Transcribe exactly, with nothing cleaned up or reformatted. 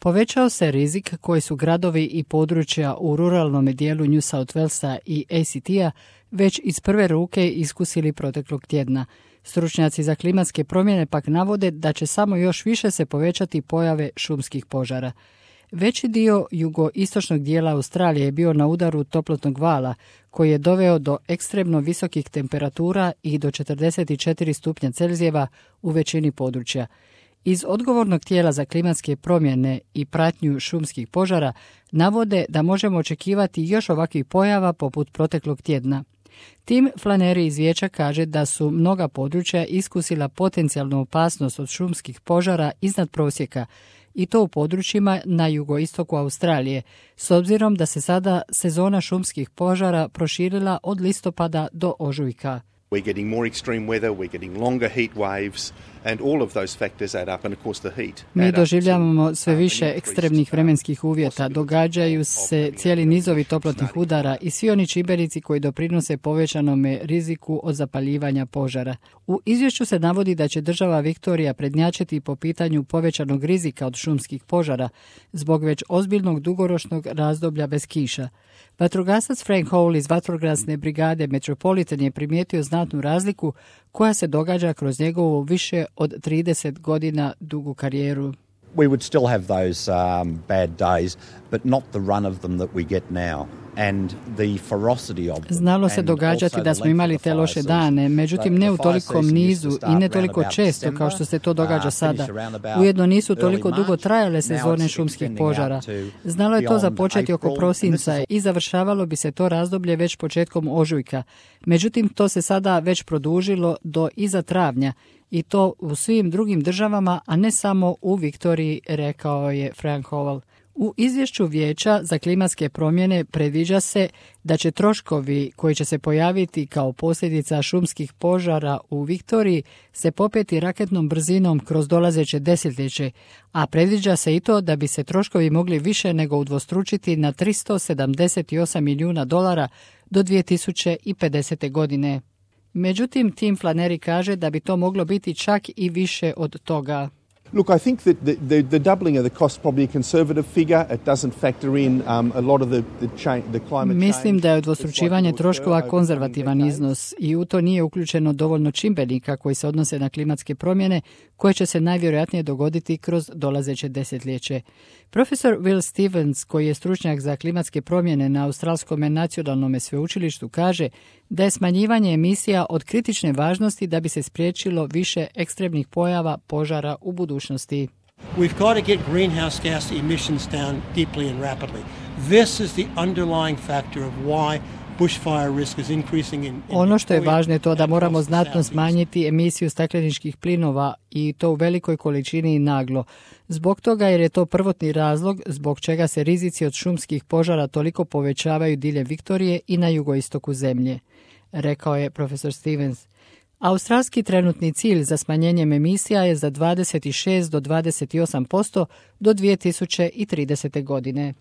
Povećao se rizik koji su gradovi i područja u ruralnom dijelu New South Walesa i A C T-a već iz prve ruke iskusili proteklog tjedna. Stručnjaci za klimatske promjene pak navode da će samo još više se povećati pojave šumskih požara. Veći dio jugoistočnog dijela Australije je bio na udaru toplotnog vala, koji je doveo do ekstremno visokih temperatura i do četrdeset četiri stupnja Celzijeva u većini područja. Iz odgovornog tijela za klimatske promjene i pratnju šumskih požara navode da možemo očekivati još ovakvih pojava poput proteklog tjedna. Tim Flaneri iz vijeća kaže da su mnoga područja iskusila potencijalnu opasnost od šumskih požara iznad prosjeka, i to u područjima na jugoistoku Australije, s obzirom da se sada sezona šumskih požara proširila od listopada do ožujka. We're getting more extreme weather, we're getting longer heat waves, and all of those factors add up, and of course the heat. Mi doživljavamo sve više ekstremnih vremenskih uvjeta, događaju se cijeli nizovi toplotnih udara i svi oni čimbenici koji doprinose povećanome riziku od zapaljivanja požara. U izvješću se navodi da će država Viktorija prednjačiti po pitanju povećanog rizika od šumskih požara zbog već ozbiljnog dugoročnog razdoblja bez kiša. Vatrogasac Frank Hall iz vatrogasne brigade Metropolitan je primijetio znatnu razliku koja se događa kroz njegovu više od trideset godina dugu karijeru. We would still have those um, bad days, but not the run of them that we get now. And the ferocity of them. Znalo se događati da smo imali te loše dane, međutim ne u tolikom nizu i ne toliko često kao što se to događa sada. Ujedno nisu toliko dugo trajale sezone šumskih požara. Znalo je to započeti oko prosinca i završavalo bi se to razdoblje već početkom ožujka. Međutim, to se sada već produžilo do iza travnja i to u svim drugim državama, a ne samo u Viktoriji, rekao je Frank Howell. U izvješću Vijeća za klimatske promjene predviđa se da će troškovi koji će se pojaviti kao posljedica šumskih požara u Viktoriji se popeti raketnom brzinom kroz dolazeće desetljeće, a predviđa se i to da bi se troškovi mogli više nego udvostručiti na tristo sedamdeset osam milijuna dolara do dvije tisuće pedesete. godine. Međutim, Tim Flaneri kaže da bi to moglo biti čak i više od toga. Look, I think that the, the, the doubling of the cost is probably a conservative figure. It doesn't factor in um, a lot of the, the, change, the climate change. Mislim da je udvostručivanje troškova konzervativan iznos i u to nije uključeno dovoljno čimbenika koji se odnose na klimatske promjene koje će se najvjerojatnije dogoditi kroz dolazeće desetljeće. Profesor Will Stevens, koji je stručnjak za klimatske promjene na Australskom nacionalnom sveučilištu, kaže da je smanjivanje emisija od kritične važnosti da bi se spriječilo više ekstremnih pojava požara u budućnosti. We've got to get greenhouse gas emissions down deeply and rapidly. This is the underlying factor of why bushfire risk is increasing in, in Ono što je važno je to da moramo znatno smanjiti emisiju stakleničkih plinova i to u velikoj količini i naglo. Zbog toga jer je to prvotni razlog zbog čega se rizici od šumskih požara toliko povećavaju diljem Viktorije i na jugoistoku zemlje, rekao je profesor Stevens. Australski trenutni cilj za smanjenjem emisija je za dvadeset šest do dvadeset osam posto do dvije tisuće tridesete. godine.